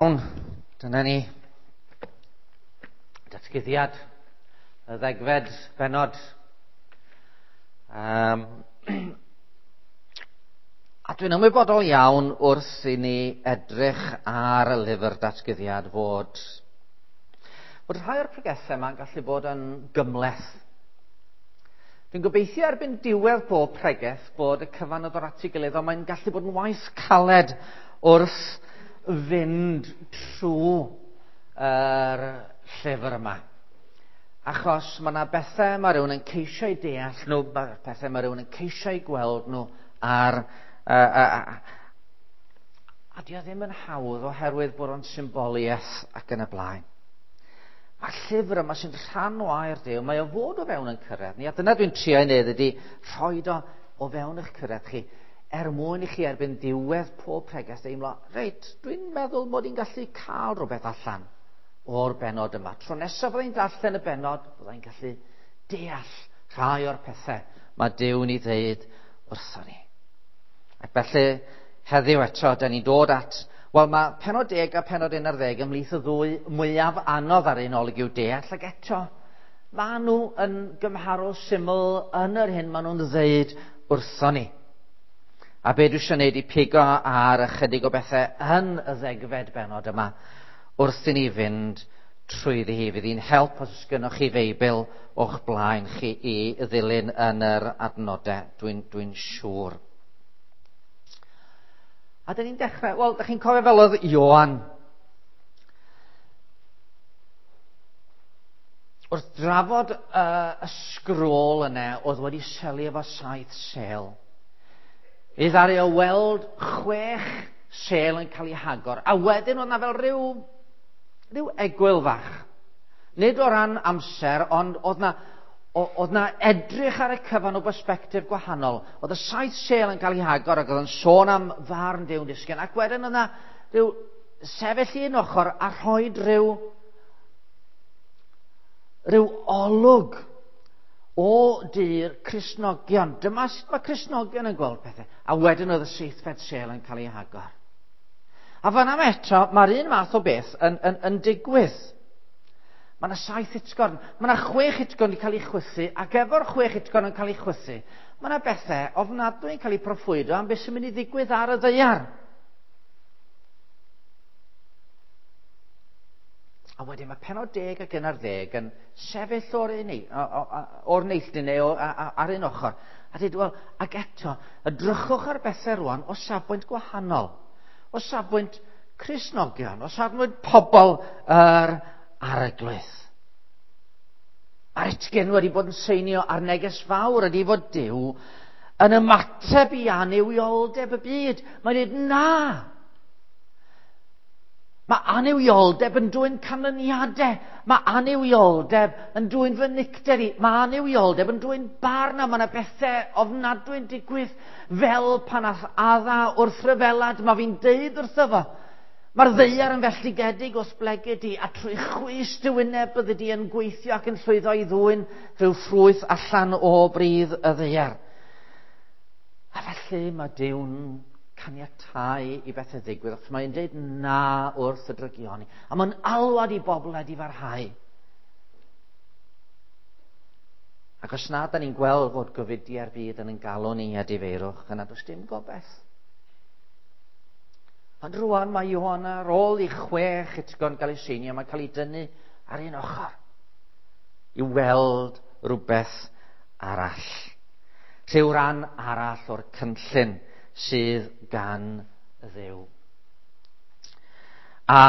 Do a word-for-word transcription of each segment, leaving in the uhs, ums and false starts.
Iawn, dyna ni. Datguddiad, y ddegfed bennod. Um, a dwi'n ymwybodol iawn wrth i ni edrych ar y lyfr datguddiad fod, fod rhai o'r pregethau yma'n gallu bod yn gymhleth. Dwi'n gobeithio erbyn diwedd bob pregeth bod y cyfan yn dod at ei gilydd, ond mae'n gallu bod yn waith caled wrth fynd trwy yr llyfr yma. Achos mae yna bethau mae rhywun yn ceisio eu deall nhw, mae pethau mae rhywun yn ceisio eu gweld nhw ar... Uh, uh, a di o ddim yn hawdd oherwydd bod o'n symboliaeth ac yn y blaen. Mae'r llyfr yma sy'n rhan o air Duw, mae o fod o fewn yn cyrraedd ni, a dyna dwi'n trio ei wneud ydy rhoi o o fewn eich cyrraedd chi, er mwyn i chi erbyn diwedd pob pregeth deimlo, reit, dwi'n meddwl mod i'n gallu cael rhywbeth allan o'r bennod yma. Tro nesaf byddai'n darllen y bennod, byddai'n gallu deall rhai o'r pethau mae Duw'n ei ddeud wrthon ni. Ac felly, heddiw eto, da ni'n dod at, wel, mae pennod deg a pennod un ar ddeg ymhlith y ddwy mwyaf anodd ar un olwg i'w deall, ac eto, maen nhw yn gymharol syml yn yr hyn maen nhw'n ddeud wrthon ni. A be dwi eisiau gwneud i pigo ar ychydig o bethau yn y ddegfed bennod yma wrth i ni fynd trwyddi hi. Fydd hi'n help os oes gynnoch chi Feibl o'ch blaen chi i ddilyn yn yr adnodau, dwi'n dwi siŵr. A dyn ni'n dechrau, wel, dych chi'n cofio fel oedd Ioan. Wrth drafod uh, y sgrôl yna oedd wedi selu efo saith sêl. I ddaru o weld chwech sêl yn cael ei hagor. A wedyn oedd na fel rhyw, rhyw egwyl fach. Nid o ran amser, ond oedd na, oedd na edrych ar y cyfan o bersbectif gwahanol. Oedd y saith sêl yn cael ei hagor ac oedd yn sôn am farn Duw'n disgyn. Ac wedyn oedd na rhyw sefyll un ochr a rhoi rhyw, rhyw olwg o du'r Cristnogion. Dyma sut mae Cristnogion yn gweld pethau. A wedyn oedd y seithfed sêl yn cael ei hagor. A fan am eto, mae'r un math o beth yn, yn, yn digwydd. Mae yna saith utgorn, mae yna chwech utgorn wedi cael ei chwythu, ac efo'r chwech utgorn yn cael ei chwythu, mae yna bethau ofnadwy yn cael ei proffwydo am beth sy'n mynd i ddigwydd ar y ddaear. A wedyn mae pennod deg ac un ar ddeg yn sefyll o'r, un, o'r neilltu neu o, ar un ochr. A dweud, wel, ac eto, edrychwch ar bethau rwan o safbwynt gwahanol. O safbwynt Cristnogion, o safbwynt pobl yr Arglwydd. Mae'r utgyn wedi bod yn seinio ar neges fawr ydy fod Duw yn ymateb i annuwioldeb y byd. Mae'n dweud, na! Mae annuwioldeb yn dwyn canlyniadau. Mae annuwioldeb yn dwyn fy nicter i. Mae annuwioldeb yn dwyn barn, a mae yna bethau ofnadwy'n digwydd fel pan ath Adda wrth ryfelad. Mae fi'n deud wrtho fo. Mae'r ddaear yn felltigedig os blegid di, a trwy chwys dy wyneb byddi di yn gweithio ac yn llwyddo i ddwyn rhyw ffrwyth allan o bridd y ddaear. A felly mae Duw'n caniatáu i bethau ddigwydd, achos mae'n dweud na wrth y drygioni. A mae'n alwad i bobl wedi farhau. Ac os na, da ni'n gweld fod gofidiau'r byd yn ein galw ni a difeirwch, yna does dim gobaith. Ond rwan mae Ioan ar ôl i chwech utgorn gael ei seinio, mae'n cael ei dynnu ar un ochr i weld rhywbeth arall. Rhyw ran arall o'r cynllun sydd gan Dduw. A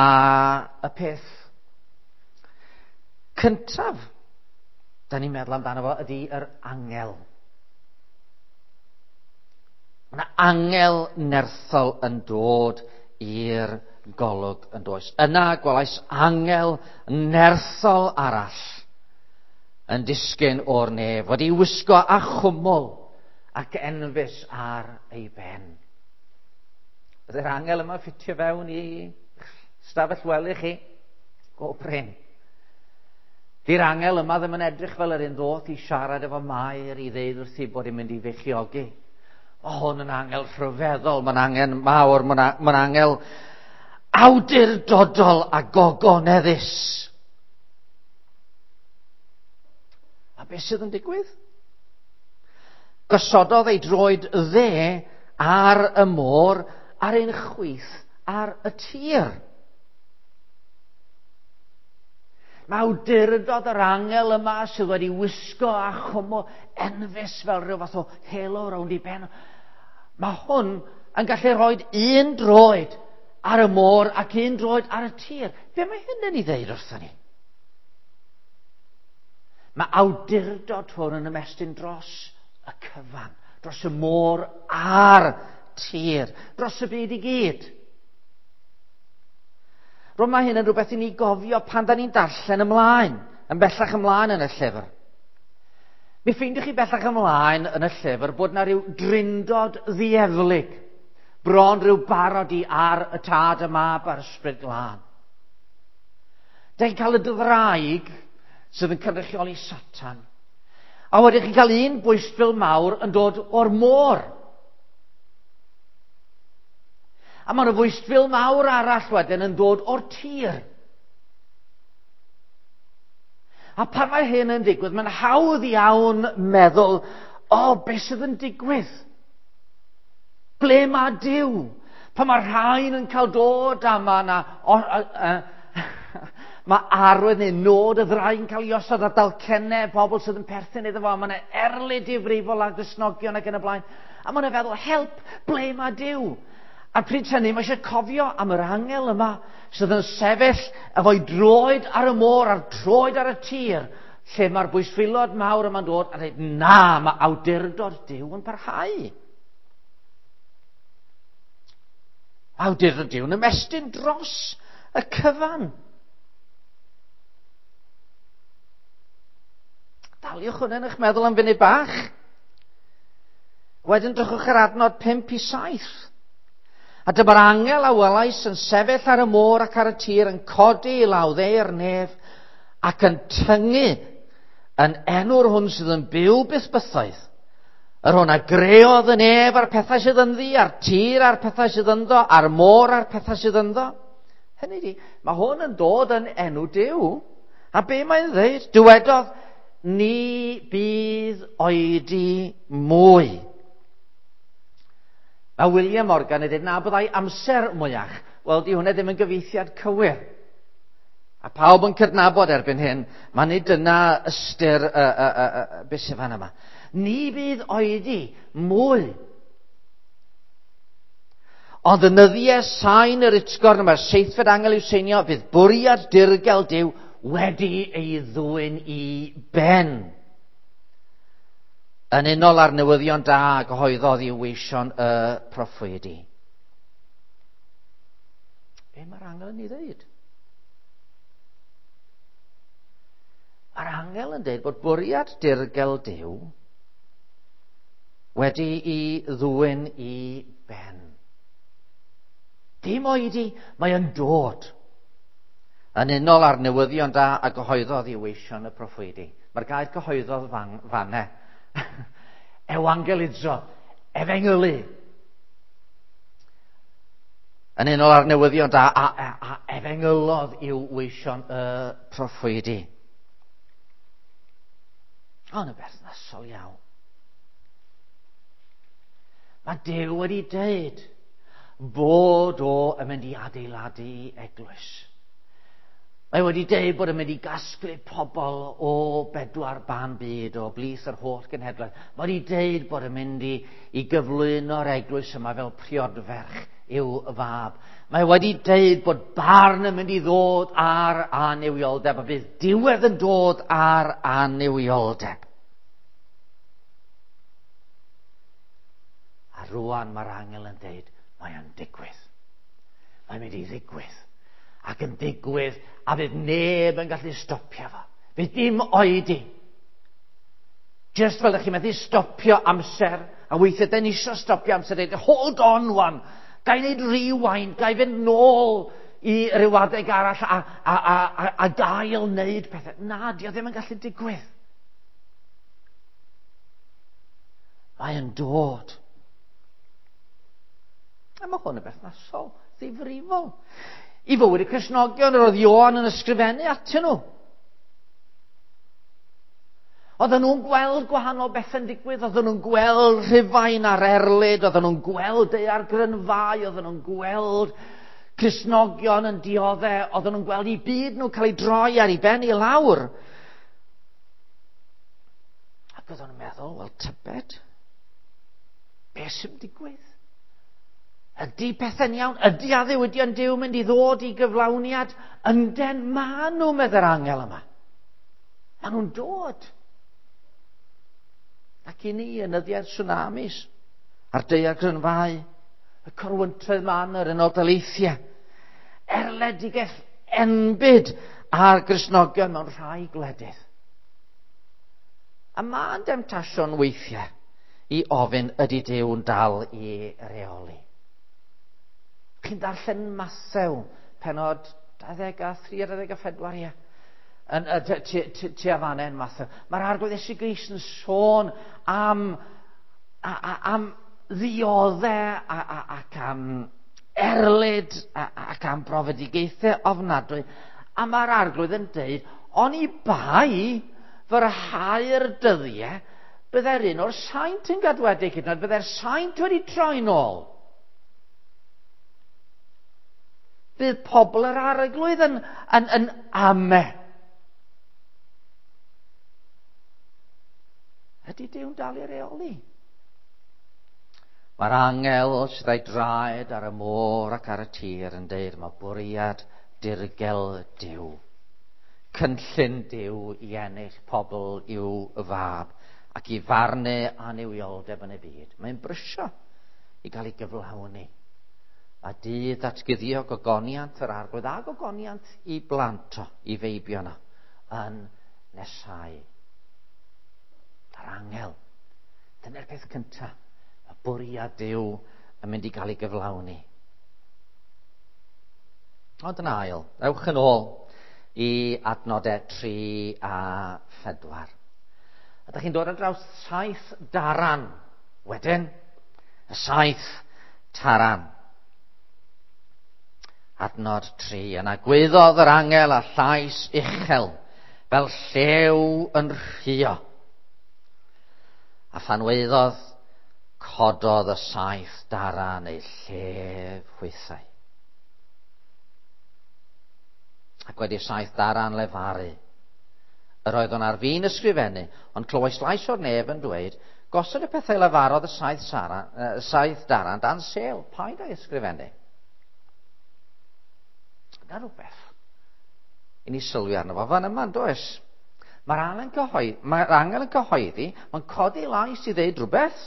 y peth cyntaf da ni'n meddwl amdano fo ydy yr angel. Mae yna angel nerthol yn dod i'r golwg yn does. Yna gwelais angel nerthol arall yn disgyn o'r nef, wedi wisgo â chwmwl ac enfys ar ei ben. Byddai'r angel yma ffitio fewn i stafell wely chi? Go brin. Di'r angel yma ddim yn edrych fel yr un ddoth i siarad efo Mair i ddeud wrthi bod hi'n mynd i feichiogi. Mae hwn yn angel rhyfeddol, mae'n angen mawr, mae'n angel Awdurdodol a gogoneddus. A beth sydd yn digwydd? Gosododd ei droed dde ar y môr, ar ein chwith ar y tir. Mae awdurdod yr angel yma sydd wedi wisgo a chwmwl enfys fel rhyw fath o halo rownd i ben. Mae hwn yn gallu rhoi un droed ar y môr ac un droed ar y tir. Be mae hyn yn ei ddeud wrthon ni? Mae awdurdod hwn yn ymestyn dros y cyfan, dros y môr a'r tir, dros y byd i gyd. Rwy'n mae hyn yn rhywbeth i ni gofio pan da ni'n darllen ymlaen, yn bellach ymlaen yn y llyfr. Mi ffeindiwch chi bellach ymlaen yn y llyfr bod na rhyw drindod ddieflig, bron rhyw barodi ar y Tad, y Mab a'r Ysbryd Glân. Da chi'n cael y ddraig sydd yn cynrychioli Satan. A wedyn chi'n cael un bwystfil mawr yn dod o'r môr. A mae yna fwystfil mawr arall wedyn yn dod o'r tir. A pan mae hyn yn digwydd, mae'n hawdd iawn meddwl, o, oh, beth sydd yn digwydd? Ble mae Duw? Pan mae rhain yn cael dod a mae yna... O, a, a, mae arwydd neu nod y ddraig yn cael ei osod ar dalcennau pobl sydd yn perthyn iddo fo. Mae yna erlid difrifol ar Gristnogion ac yn y blaen. A mae yna feddwl, help, ble mae Duw? A pryd hynny, mae eisiau cofio am yr angel yma sydd yn sefyll efo'i droed ar y môr a'r troed ar y tir, lle mae'r bwystfilod mawr yma'n dod a dweud, na, mae awdurdod Duw yn parhau. Awdurdod Duw yn ymestyn dros y cyfan. Daliwch hwnna yn eich meddwl am funud bach. Wedyn drychwch ar adnod pump i saith. A dyma'r angel a welais yn sefyll ar y môr ac ar y tir yn codi i law dde'r nef ac yn tyngu yn enw'r hwn sydd yn byw byth bythoedd. Yr hwn a greodd y nef a'r pethau sydd ynddi, a'r tir a'r pethau sydd ynddo, a'r môr a'r pethau sydd ynddo. Hynny ydi, mae hwn yn dod yn enw Duw. A be mae'n dweud? Dywedodd, ni bydd oedi mwy. Mae William Morgan yn dweud na byddai amser mwyach. Wel, di hwnna ddim yn gyfieithiad cywir. A pawb yn cydnabod erbyn hyn, mae nid dyna ystyr y, y, y, y, beth sydd fan yma. Ni bydd oedi mwy. Ond yn nyddiau sain yr utgorn, mae'r seithfed angel i'w seinio, bydd bwriad dirgel Duw wedi ei ddwyn i ben. Yn unol â'r newyddion da a gyhoeddodd i'w weision y proffwydi. Be mae'r angel yn ei ddweud? Mae'r angel yn dweud bod bwriad dirgel Duw wedi ei ddwyn i ben. Dim oedi, mae yn dod. Yn unol â'r newyddion da a gyhoeddodd i'w weision y proffwydi. Mae'r gair cyhoeddodd fan, fanne. Ewangelizo, efengylu. Yn unol â'r newyddion da a, a, a efengylodd i'w weision y proffwydi. Ond yn berthnasol iawn. Mae Duw wedi dweud bod o yn mynd i adeiladu eglwys. Mae wedi dweud bod yn mynd i gasglu pobl o bedwar ban byd, o blith yr holl genhedlaeth. Mae wedi dweud bod yn mynd i, i gyflwyno'r eglwys yma fel priodferch i'w fab. Mae wedi dweud bod barn yn mynd i ddod ar annuwioldeb, a bydd diwedd yn dod ar annuwioldeb. A rwan mae'r angel yn dweud, mae o'n digwydd. Mae'n mynd i ddigwydd. Ac yn digwydd, a fydd neb yn gallu stopio fo. Fydd dim oedi. Just fel ydych chi'n methu stopio amser, a weithiau dyn ni eisiau stopio amser, dweud, hold on wan, ga i wneud rewind, ga i fynd nôl i ryw adeg arall a, a, a, a, a gael wneud pethau. Na, di o ddim yn gallu digwydd. Mae yn dod. A mae hwn yn berthnasol. ddifrifol i fywyd y Cristnogion yr oedd Ioan yn ysgrifennu atyn nhw. Oedden nhw'n gweld gwahanol bethau'n digwydd, oedden nhw'n gweld Rhufain ar erlid, oedden nhw'n gweld daeargrynfâu, oedden nhw'n gweld Cristnogion yn dioddef, oedden nhw'n gweld eu byd nhw'n cael ei droi ar ei ben i lawr. Ac oedden nhw'n meddwl, wel tybed, beth sy'n digwydd? Ydy pethau'n iawn? Ydy addewidion Duw mynd i ddod i gyflawniad? Ynden, ma nhw, medde'r angel yma. Ma nhw'n dod. Ac i ni, yn nyddiau'r tsunamis, a'r daeargrynfâu, y corwyntoedd man yr Unol Daleithiau, erledigaeth enbyd ar Gristnogion mewn rhai gwledydd. A ma'n demtasiwn weithiau i ofyn ydy Duw'n dal i reoli. Chi'n darllen Mathew, penod dau ddeg a thri a dau ddeg a phedwar, ie. Yn, tua fan hyn, Mathew. Mae'r Arglwydd Iesu Grist yn sôn am, a, a, am ddiodde a, a, ac am erlid a, ac am brofedigaethau ofnadwy. A mae'r Arglwydd yn deud, oni bai fyrhau'r dyddiau, byddai'r un o'r saint yn gadwedig hyd yn oed, byddai'r saint wedi troi nôl. Bydd pobl yr Arglwydd yn, yn, yn ame. Ydy Duw'n dal i reoli? Mae'r angel sydd â'i draed ar y môr ac ar y tir yn deud mae bwriad dirgel Duw. Cynllun Duw i ennill pobl i'w fab ac i farnu annuwioldeb yn y byd. Mae'n brysio i gael ei gyflawni. A dydd datguddio gogoniant yr Arglwydd a gogoniant i blant o, i feibion o, yn nesau. Yr angel. Dyna'r peth cyntaf. Mae bwriad Duw yn mynd i gael ei gyflawni. Ond yn ail, ewch yn ôl i adnodau tri a phedwar. A dach chi'n dod ar draws saith daran wedyn. Y saith taran. Adnod tri. Yna gwaeddodd yr angel â llais uchel, fel llew yn rhuo. A phan waeddodd, cododd y saith daran eu llef hwythau. Ac wedi saith daran lefaru, yr oeddwn ar fin ysgrifennu, ond clywais lais o'r nef yn dweud, gosod y pethau lefarodd y saith, sara, uh, saith daran dan sêl, paid â'i ysgrifennu. Yna rhywbeth i ni sylwi arno fo fan yma, does? Mae'r angel yn cyhoeddi, mae'r angel yn cyhoeddi, mae'n codi lais i ddeud rhywbeth.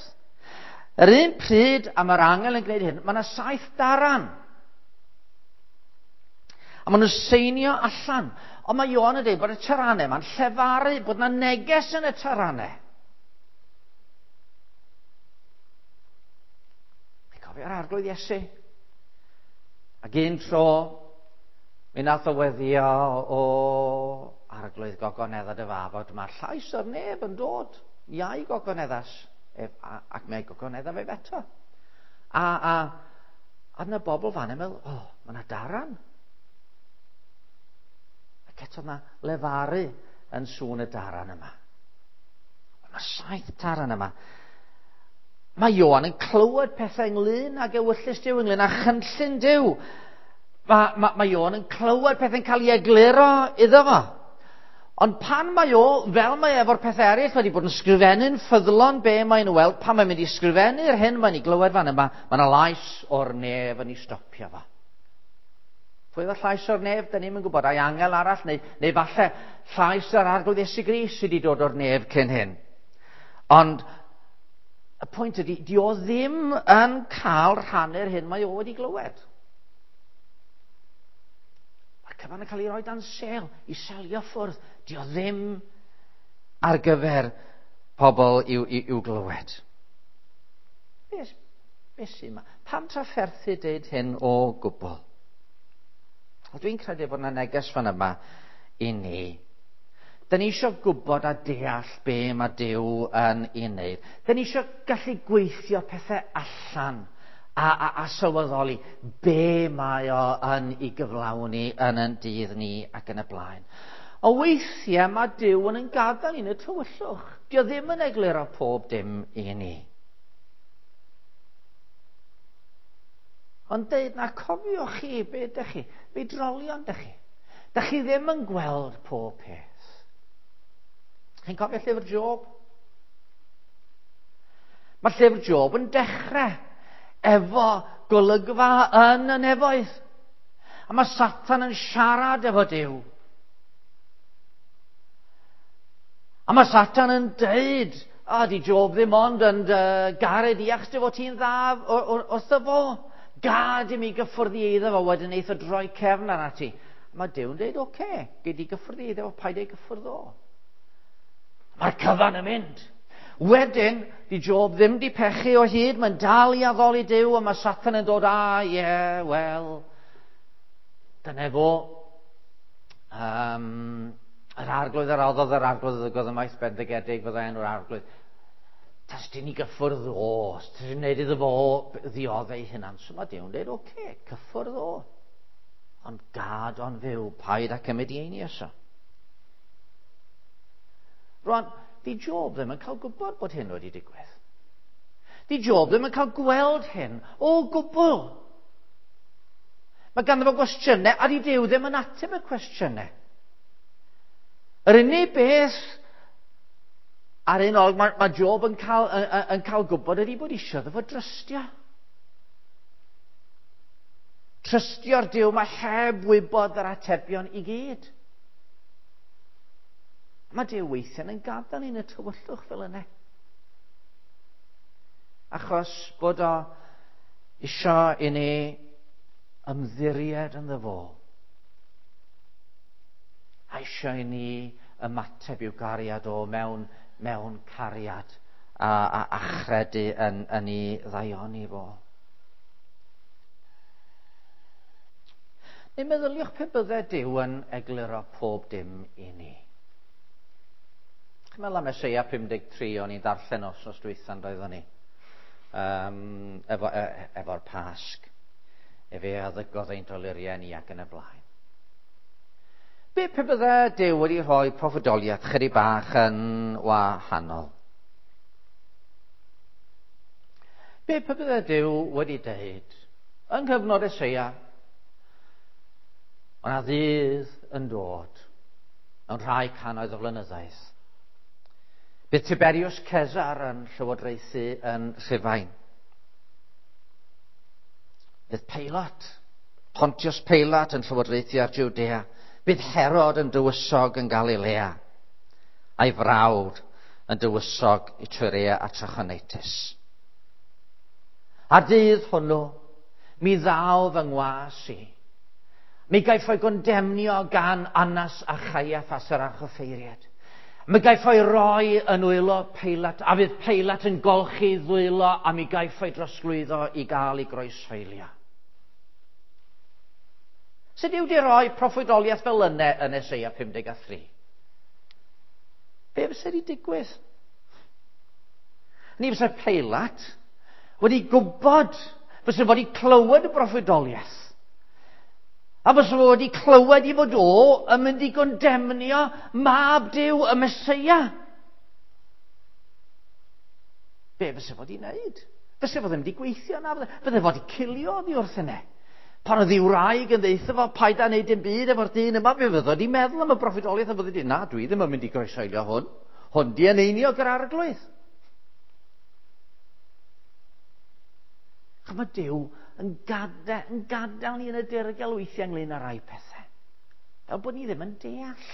Yr un pryd a mae'r angel yn gwneud hyn, mae yna saith daran. A maen nhw'n seinio allan. Ond mae Ioan yn dweud bod y taranau ma'n llefaru, bod yna neges yn y taranau. Chi'n cofio'r Arglwydd Iesu? Ac un tro, mi nath o weddio o Arglwydd gogonedda dy fab, mae'r llais o'r nef yn dod. Iau gogoneddas ef, a, ac mae gogonedda fe eto. A, a, a yna bobl fan yn meddwl, o, oh, mae yna daran. Ac eto yna lefaru yn sŵn y daran yma. Mae saith taran yma. Mae Ioan yn clywed pethau ynglyn ag ewyllys Duw, ynglyn â chynllun Duw. Mae, mae, mae Ioan yn clywed pethau'n cael ei egluro iddo fo. Ond pan mae o, fel mae efo'r pethau eraill, wedi bod yn sgrifennu'n ffyddlon be mae'n weld, pan mae'n mynd i sgrifennu'r hyn mae'n ei glywed fan yma, mae yna lais o'r nef yn ei stopio fo. Pwy oedd y llais o'r nef? Da ni'm yn gwybod. Ai angel arall, neu, neu falle llais yr Arglwydd Iesu Grist sydd wedi dod o'r nef cyn hyn. Ond y pwynt ydy, di o ddim yn cael rhannu'r hyn mae o wedi glywed. Mae'r cyfan yn cael ei roi dan sêl, i selio ffwrdd. Di o ddim ar gyfer pobl i'w, i'w, i'w glywed. Be, be sy'n yma? Pam trafferthu deud hyn o gwbl? Dwi'n credu bod yna neges fan yma i ni. Da ni eisiau gwybod a deall be mae Duw yn ei wneud. Da ni eisiau gallu gweithio pethau allan A, a, a sylweddoli be mae o yn ei gyflawni yn yn dydd ni ac yn y blaen. O weithiau mae Duw yn yn gadael ni'n y tywyllwch. Dio ddim yn egluro pob dim i ni. Ond deud na, cofiwch chi be ydych chi, be drolion ydych chi. Dych chi ddim yn gweld pob peth. Chi'n cofio llyfr Job? Mae llyfr Job yn dechrau efo golygfa yn y nefoedd. A mae Satan yn siarad efo Duw. A mae Satan yn deud, a di Job ddim ond yn uh, garu di achos dy fod ti'n dda wrtho fo. Gad i mi gyffwrdd i eiddo fo, wedyn neith o droi cefn arna ti. A mae Duw yn deud, oce, okay, gei di gyffwrdd i eiddo fo, paid ei gyffwrdd o. Mae'r cyfan yn mynd. Wedyn, di Job ddim di pechu o hyd, mae'n dal i addoli Duw, a mae Satan yn dod, a, ie, yeah, wel, dyna fo. Um, yr arglwydd yr roddodd, yr arglwydd ddygodd ymaith, bendigedig fyddai enw'r arglwydd. Tas di ni gyffwrdd o, tas di wneud iddo fo ddioddau ei hunan. So mae Duw'n dweud, oce, okay, cyffwrdd o. Ond gad o'n fyw, paid a cymryd i einioes o. Rwan, di Job ddim yn cael gwybod bod hyn wedi digwydd. Di Job ddim yn cael gweld hyn o gwbl. Mae ganddo fo gwestiynau, a di Duw ddim yn ateb y cwestiynau. Yr unig beth ar un olwg mae, mae Job yn cael, yn, yn cael gwybod ydy bod eisiau iddo fo drystio. Trystio'r Duw mae heb wybod yr atebion i gyd. Mae Duw weithiau yn gadael ni'n y tywyllwch fel yna. Achos bod o isio i ni ymddiried ynddo fo. A isio i ni ymateb i'w gariad o mewn, mewn cariad a, a, a chredu yn, yn ei ddaioni fo. Neu meddyliwch pe bydde Duw yn egluro pob dim i ni. Chi'n meddwl am Eseia pum deg tri o'n i'n darllen wythnos dwytha doeddwn ni, um, efo, e, efo'r Pasg. Efe a ddygodd ein doluriau ni ac yn y blaen. Be pe bydde Duw wedi rhoi proffwydoliaeth chydig bach yn wahanol? Be pe bydde Duw wedi deud yng nghyfnod Eseia, o'na ddydd yn dod mewn rhai cannoedd o flynyddoedd. Bydd Tiberius Caesar yn llywodraethu yn Rhufain. Bydd Pilate, Pontius Pilate yn llywodraethu ar Judea. Bydd Herod yn dywysog yn Galilea, a'i frawd yn dywysog Iturea a Trachonitis. A'r dydd hwnnw, mi ddaw fy ngwas i. Mi gaiff o'i gondemnio gan Annas a Chaiaffas yr archoffeiriad. Mi gaiff o'i roi yn wylo Pilate, a fydd Pilate yn golchi ddwylo, a mi gaiff o'i drosglwyddo i gael ei groeshoelio. Sut yw di roi proffwydoliaeth fel yna yn Eseia pum deg a thri? Be fysa di digwydd? Ni fysa Pilate wedi gwybod, fysa wedi clywed y broffwydoliaeth. A fysa fo wedi clywed i fod o yn mynd i gondemnio mab Duw, y Meseia. Be fysa fo wedi wneud? Fysa fo ddim wedi gweithio na, fydde fo wedi cilio oddi wrth yna. Pan oedd ei wraig yn ddeutha fo, paid â wneud dim byd efo'r dyn yma, fe fydde wedi meddwl am y broffwydoliaeth a fydde wedi, na, dwi ddim yn mynd i groeshoelio hwn. Hwn di yn einiog yr arglwydd. Chos mae Duw yn gadael, yn gadael ni yn y dirgel weithiau ynglyn â rai pethau. Fel bod ni ddim yn deall.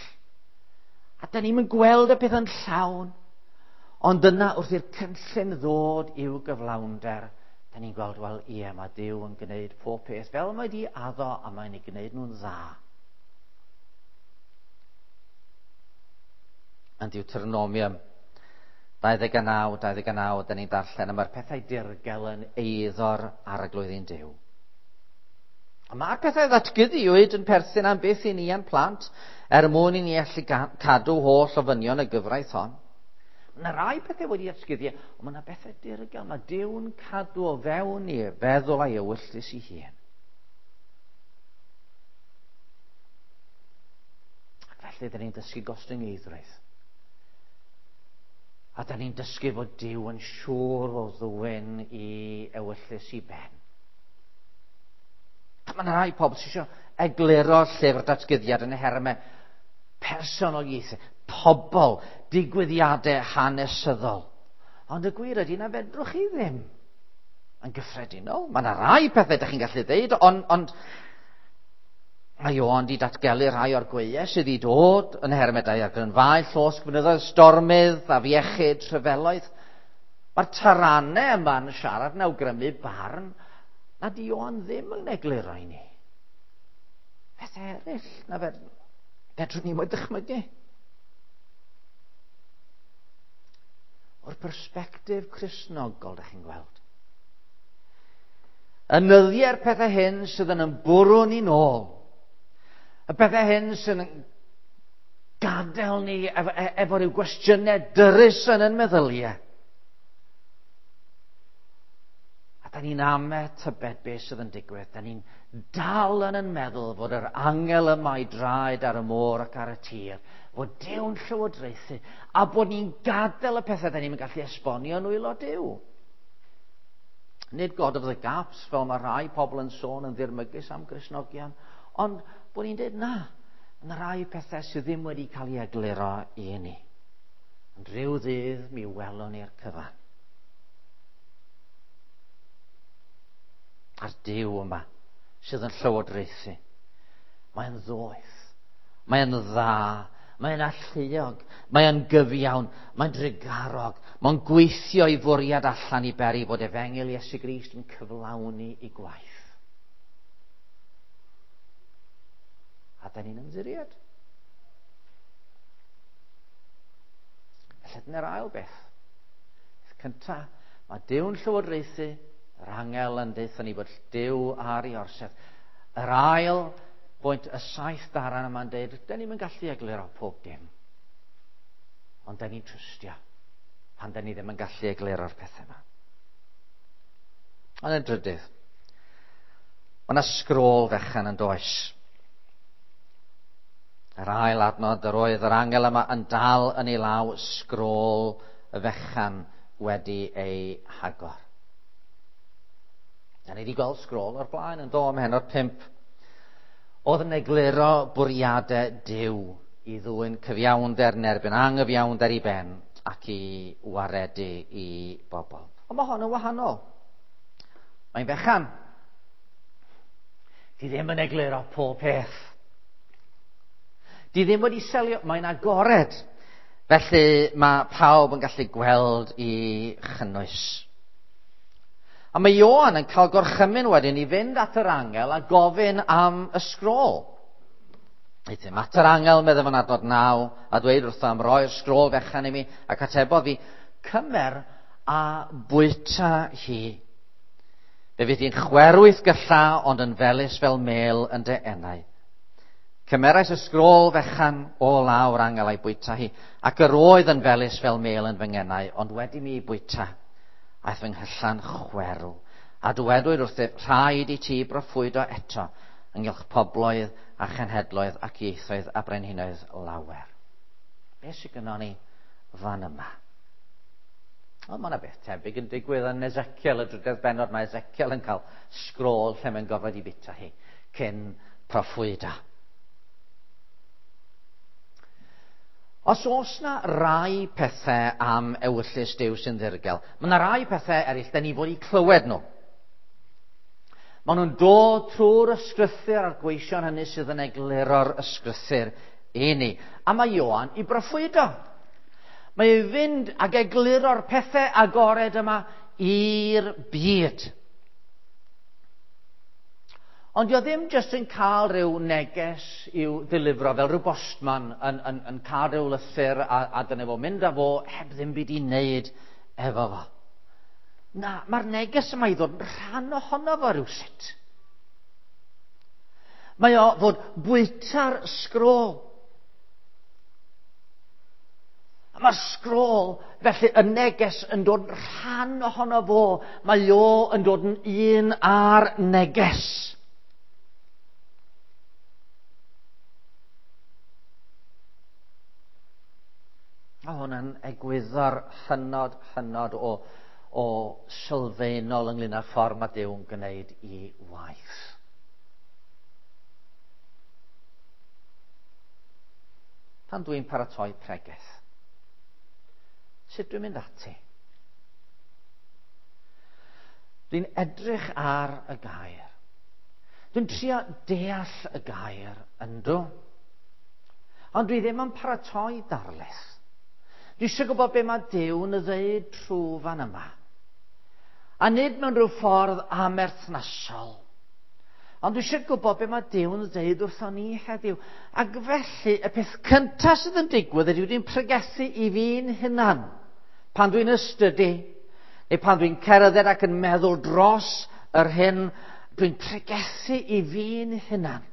A da ni'n gweld y peth yn llawn. Ond yna wrth i'r cynllun ddod i'w gyflawnder, da ni'n gweld, wel, ie, mae Duw yn gwneud pob peth fel mae di addo a mae'n ei gwneud nhw'n dda. Yn Deuteronomium dau ddeg a naw, dau ddeg a naw, da ni'n darllen, a mae'r pethau dirgel yn eiddo'r arglwydd ein Duw. A mae'r pethau ddatguddiwyd yn perthyn am byth i ni a'n plant, er mwyn i ni allu cadw holl ofynion y gyfraith hon. Mae yna rai pethau wedi datguddio, ond mae yna bethau dirgel. Mae Duw'n cadw o fewn i feddwl a'i ewyllys ei hun. Ac felly, dyn ni'n dysgu gostyngeiddrwydd. A dyn ni'n dysgu fod Duw yn siŵr o ddwyn i ewyllys i ben. A mae yna rai pobl sydd eisiau egluro llyfr datguddiad yn y hermau personoliaethau, pobl, digwyddiadau hanesyddol. Ond y gwir ydy na fedrwch chi ddim yn gyffredinol. Mae yna rai pethau ydych chi'n gallu dweud, ond, ond mae Ioan wedi datgelu rhai o'r gweiau sydd wedi dod yn hermau daeargrynfâu, llosg fynyddoedd, stormydd, afiechyd, rhyfeloedd. Mae'r taranau yma'n siarad yn awgrymu barn nad Ioan ddim yn egluro i ni. Pethau eraill na fedrwn ni mo'i dychmygu. O'r persbectif Cristnogol, ydych chi'n gweld. Y nyddiau'r pethau hyn sydd yn bwrw ni nôl. Y pethau hyn sydd yn gadael ni efo, efo rhyw gwestiynau dyrys yn ein meddyliau. A da ni'n ame tybed beth sydd yn digwydd. Da ni'n dal yn yn meddwl fod yr angel yma i draed ar y môr ac ar y tir, fod Duw'n llywodraethu, a bod ni'n gadael y pethau da ni'n gallu esbonio yn nwylo Duw. Nid God of the gaps, fel mae rhai pobl yn sôn yn ddirmygus am Gristnogion, ond bod ni'n dweud na, yna rai pethau sydd ddim wedi cael ei egluro i ni. Ond rhyw ddydd mi welwn ni'r cyfan. A'r Duw yma sydd yn llywodraethu. Mae'n ddoeth, mae'n dda, mae'n alluog, mae'n gyfiawn, mae'n drugarog, mae'n gweithio i fwriad allan i beri bod efengyl Iesu Grist yn cyflawni ei gwaith. A da ni'n ymddiried. Felly dyna'r ail beth. Peth cyntaf, mae Duw'n llywodraethu, yr angel yn deutha ni bod Duw ar ei orsedd. Yr ail bwynt, y saith daran yma'n dweud, da ni'm yn gallu egluro pob dim. Ond da ni'n trystio pan da ni ddim yn gallu egluro'r pethau yma. Ond yn drydydd, mae yna sgrôl fechan yn does. Yr ail adnod, yr oedd yr angel yma yn dal yn ei law sgrôl y fechan wedi ei hagor. Da ni wedi gweld sgrôl o'r blaen yn do ym mhennod pump. Oedd yn egluro bwriadau Duw i ddwyn cyfiawnder yn erbyn anghyfiawnder i ben ac i waredu i bobl. Ond mae hon yn wahanol. Mae'n fechan. Di ddim yn egluro pob peth. Di ddim wedi selio, mae'n agored. Felly mae pawb yn gallu gweld i chynnwys. A mae Ioan yn cael gorchymyn wedyn i fynd at yr angel a gofyn am y sgrôl. Euthum at yr angel, meddai fo'n adnod naw, a dweud wrtho am roi'r sgrôl fechan i mi, ac atebodd fi, cymer a bwyta hi. Fe fydd hi'n chwerwyth gylla, ond yn felys fel mel yn dy enau. Cymerais y sgrôl fechan o lawr angel a'i bwyta hi, ac yr oedd yn felys fel mel yn fy ngenau, ond wedi mi bwyta, aeth fy nghylla'n chwerw. A dywedwyd wrthyf, rhaid i ti broffwydo eto ynghylch pobloedd a chenhedloedd ac ieithoedd a brenhinoedd lawer. Be sydd gynnon ni fan yma? Wel, mae yna beth tebyg yn digwydd yn Ezekiel, y drydedd bennod. Mae Ezekiel yn cael sgrôl lle mae'n gorfod i bita hi cyn proffwydo. Os oes na rai pethau am ewyllys Duw sy'n ddirgel, mae yna rai pethau eraill da ni fod i clywed nhw. Maen nhw'n dod trwy'r ysgrythur a'r gweision hynny sydd yn egluro'r ysgrythur i ni. A mae Ioan i broffwydo. Mae ei fynd ag egluro'r pethau agored yma i'r byd. Ond dio ddim jyst yn cael rhyw neges i'w ddilifro fel rhyw bostman yn, yn, yn cael rhyw lythyr a, a dyna fo mynd â fo heb ddim byd i wneud efo fo. Na, mae'r neges yma i ddod yn rhan ohono fo rhywsut. Mae o fod bwyta'r sgrôl. A mae'r sgrôl, felly y neges yn dod rhan ohono fo. Mae o yn dod yn un â'r neges. Mae hwn yn egwyddor hynod, hynod o, o sylfaenol ynglyn â'r ffordd mae Duw yn gwneud i waith. Pan dwi'n paratoi pregeth, sut dwi'n mynd ati? Dwi'n edrych ar y gair. Dwi'n trio deall y gair, yndw. Ond dwi ddim yn paratoi darlith. Dwi eisiau gwybod be mae Duw yn ddeud trwy fan yma. A nid mewn rhyw ffordd amerthnasol. Ond dwi eisiau gwybod be mae Duw yn ddeud wrthon ni heddiw. Ac felly, y peth cyntaf sydd yn digwydd ydy dwi'n pregethu i fi'n hunan. Pan dwi'n ystydu, neu pan dwi'n cerdded ac yn meddwl dros yr hyn, dwi'n pregethu i fi'n hunan.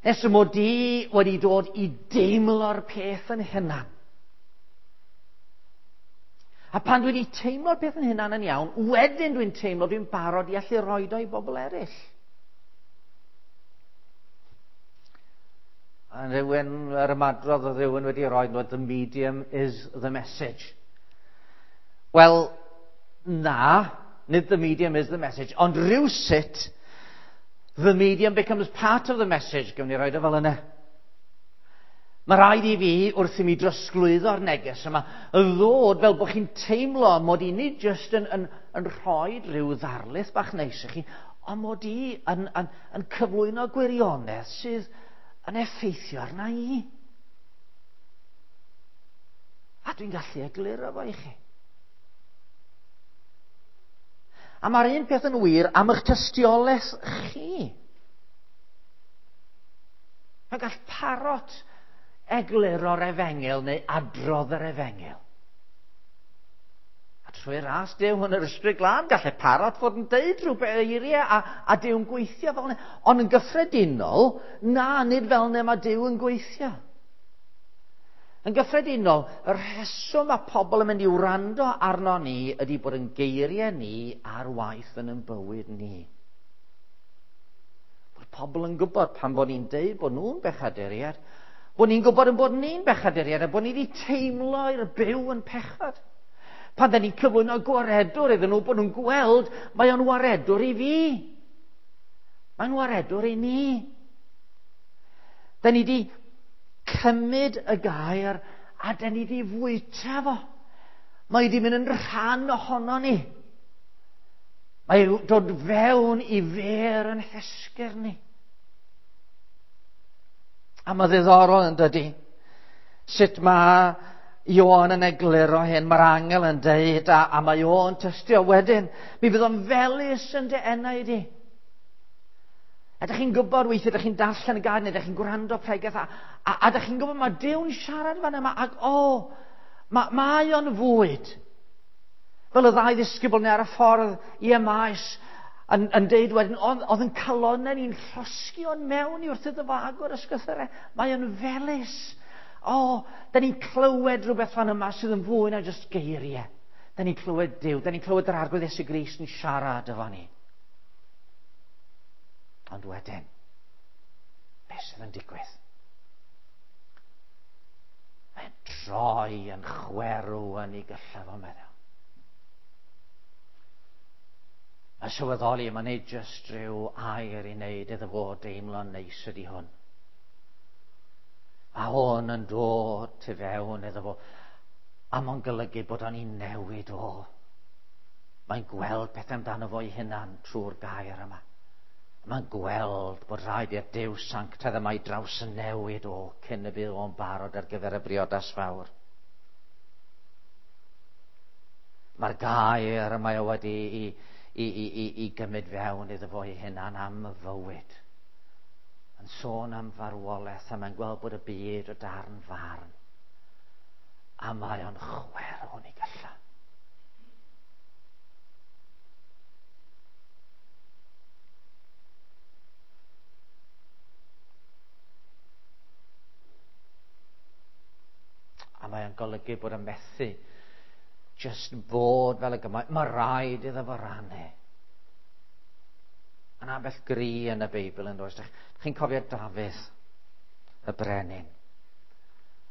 Nes y mod i wedi dod i deimlo'r peth yn hunan. A pan dwi wedi teimlo'r peth yn hunan yn iawn, wedyn dwi'n teimlo dwi'n barod i allu roed o i bobl eraill. A rhywun, yr ymadrodd oedd rhywun wedi rhoi, the medium is the message. Wel, na, nid the medium is the message, ond rhywsut, the medium becomes part of the message. Gawn ni roed o fel yna. Mae rhaid i fi, wrth i mi drosglwyddo'r neges yma, ddod fel bod chi'n teimlo mod i nid jyst yn, yn, yn rhoi rhyw ddarlith bach neis i chi, ond mod i yn, yn, yn cyflwyno gwirionedd sydd yn effeithio arna i. A dwi'n gallu egluro fo i chi. A mae'r un peth yn wir am eich tystiolaeth chi. Mae gall parot egluro'r efengyl neu adrodd yr efengyl. A trwy ras Duw yn yr Ysbryd Glân, gallai parot fod yn deud rhywbeth eiriau a, a Duw'n gweithio fel yna. Ond yn gyffredinol, na, nid fel yna mae Duw yn gweithio. Yn gyffredinol, y rheswm mae pobl yn mynd i wrando arno ni ydy bod yn geiriau ni ar waith yn ein bywyd ni. Bod pobl yn gwybod pan bod ni'n deud bod nhw'n bechaduriaid, bod ni'n gwybod yn bod ni'n bechaduriaid a bod ni wedi teimlo i'r byw yn pechod. Pan da ni'n cyflwyno gwaredwr iddyn nhw, bod nhw'n gweld mae o'n waredwr i fi. Mae'n waredwr i ni. Da ni wedi cymryd y gair a da ni wedi fwyta fo. Mae wedi mynd yn rhan ohono ni. Mae dod fewn i fer yn hesgyr ni. A mae ddiddorol yn dydi. Sut mae Ioan yn egluro hyn, mae'r angel yn deud, a, a mae o'n tystio wedyn. Mi fydd o'n felys yn dy enau di. Ydych chi'n gwybod weithiau, ydych chi'n darllen y gair, neu ydych chi'n gwrando pregeth, a, a, a ydych chi'n gwybod mae Duw'n siarad fan yma, ac o, ma, mae o'n fwyd. Fel y ddau ddisgybl neu ar y ffordd i Emaus, yn, yn deud wedyn, oedd, oedd yn calonnau ni'n llosgi o'n mewn i wrth iddo fo agor ysgrythurau. Mae o'n felys. O, da ni'n clywed rhywbeth fan yma sydd yn fwy na jyst geiriau. Da ni'n clywed Duw, da ni'n clywed yr Arglwydd Iesu Grist yn siarad efo ni. Ond wedyn, beth sydd yn digwydd? Mae'n troi yn chwerw yn ei gyllaf o meddwl. Mae sylweddoli, mae'n neud jyst rhyw air i wneud iddo fo deimlo'n neis ydy hwn. Mae hwn yn dod tu fewn iddo fo, a mae'n golygu bod o'n ei newid o. Mae'n gweld pethau amdano fo ei hunan trwy'r gair yma. Mae'n gweld bod rhaid i'r Duw sanctaidd yma i draws yn newid o cyn y bydd o'n barod ar gyfer y briodas fawr. Mae'r gair yma o wedi i, i, i, i, i gymryd fewn iddo fo ei hunan am y fywyd. Yn sôn am farwolaeth, a mae'n gweld bod y byd o darn farn. A mae o'n chwerw yn ei gylla. mae'n golygu bod yn methu just bod fel y gymaint. Mae rhaid iddo fo rannu. Yna ambell gri yn y Beibl yn does. Chi'n cofio Dafydd, y brenin,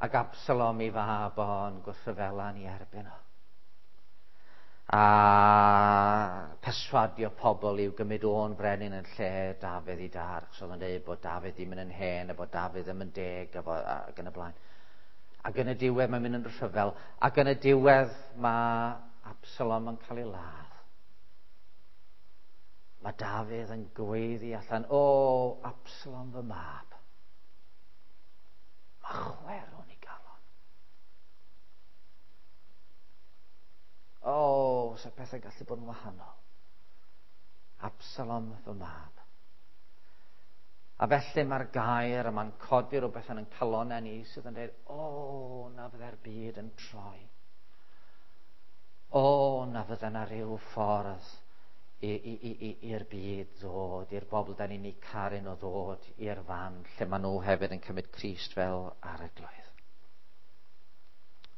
ac Absalom i fab o'n gwrthryfela yn ei erbyn o. A perswadio pobl i'w gymryd o'n brenin yn lle Dafydd i dar, achos oedd yn dweud bod Dafydd ddim yn hen, a bod Dafydd ddim yn deg, a bod, ac yn y blaen. Ac yn y diwedd mae'n mynd yn rhyfel, ac yn y diwedd mae Absalom yn cael ei ladd. Mae Dafydd yn gweiddi allan, o, Absalom fy mab. Mae chwerw'n ei galon. O, sa pethau gallu bod yn wahanol. Absalom fy mab. A felly mae'r gair yma'n codi rhywbeth yn ein calonnau ni sydd yn dweud, o, na fydde'r byd yn troi. O, na fydde yna rhyw ffordd i'r byd ddod, i'r bobl da ni'n eu caru nhw ddod i'r fan lle maen nhw hefyd yn cymryd Crist fel arglwydd.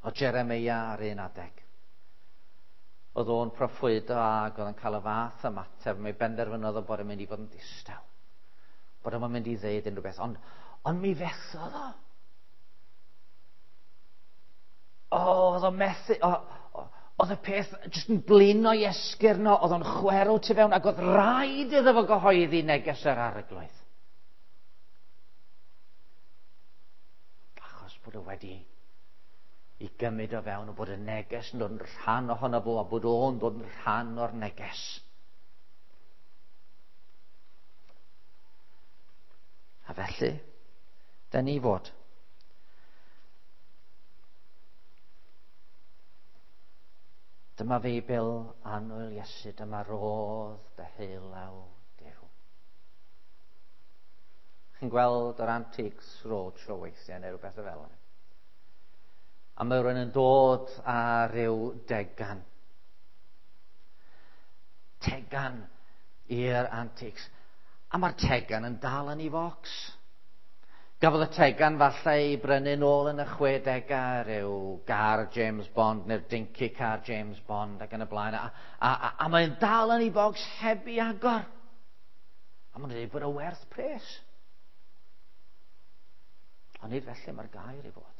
O Jeremia ar un adeg, oedd o'n proffwydo ac oedd yn cael y fath ymateb, mae benderfynodd o bod yn mynd i fod yn ddistaw, bod o'n mynd i ddeud unrhyw beth, ond, ond mi fethodd o. O, oedd o'n methu, o, o, oedd y peth jyst yn blino i esgyrn o, oedd o'n chwerw tu fewn, ac oedd rhaid iddo fo gyhoeddi neges yr arglwydd. Achos bod o wedi i gymryd o fewn, o bod y neges yn dod yn rhan ohono fo, a bod o'n dod yn rhan o'r neges. A felly, da ni fod dyma Feibl annwyl Iesu, dyma rodd deheulaw Duw. Chi'n gweld yr Antiques Roadshow weithiau neu rhywbeth fel yna. A mae rhywun yn dod â rhyw degan. Tegan i'r antiques. A mae'r tegan yn dal yn ei focs. Gafodd y tegan falle ei brynu nôl yn y chwedegau, rhyw gar James Bond neu'r dinky car James Bond ac yn y blaen. A, a, a, a mae'n dal yn ei bocs heb ei agor. A mae'n dweud bod o werth pres. Ond nid felly mae'r gair i fod.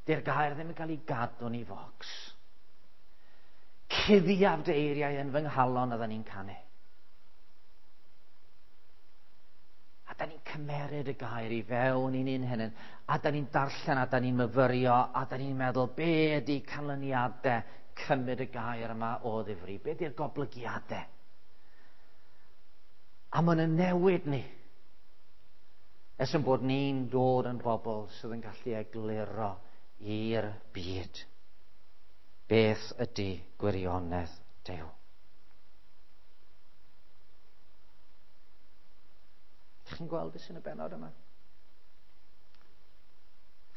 Di'r gair ddim yn cael ei gadw yn ei focs. Cuddiaf dy eiriau yn fy nghalon oedden ni'n canu. A da ni'n cymeryd y gair i fewn i'n un hynny, a da ni'n darllen, a da ni'n myfyrio, a da ni'n meddwl, be ydy canlyniadau cymryd y gair yma o ddifri? Be ydy'r goblygiadau? A ma'n yn newid ni. Ers yn bod ni'n dod yn bobl sydd yn gallu egluro i'r byd beth ydy gwirionedd Duw. Chi'n gweld beth sy'n y bennod yma?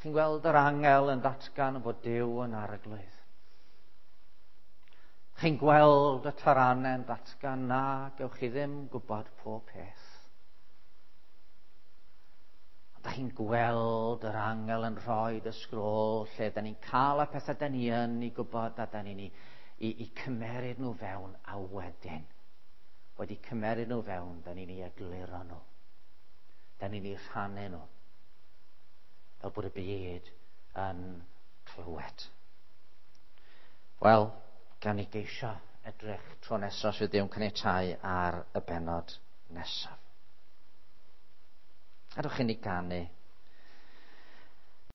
Chi'n gweld yr angel yn datgan bod Duw yn arglwydd. Chi'n gweld y taranau yn datgan na gewch chi ddim gwybod pob peth. Ond chi'n gweld yr angel yn rhoi y sgrôl lle da ni'n cael y pethau da ni yn ei gwybod a da ni'n i, i, i cymeryd nhw fewn, a wedyn wedi cymeryd nhw fewn, da ni'n ei egluro nhw. Da ni'n ei rhannu nhw, fel bod y byd yn clywed. Wel, gan i geisio edrych tro nesaf sydd Duw'n caniatáu ar y bennod nesaf. Gadewch i ni ganu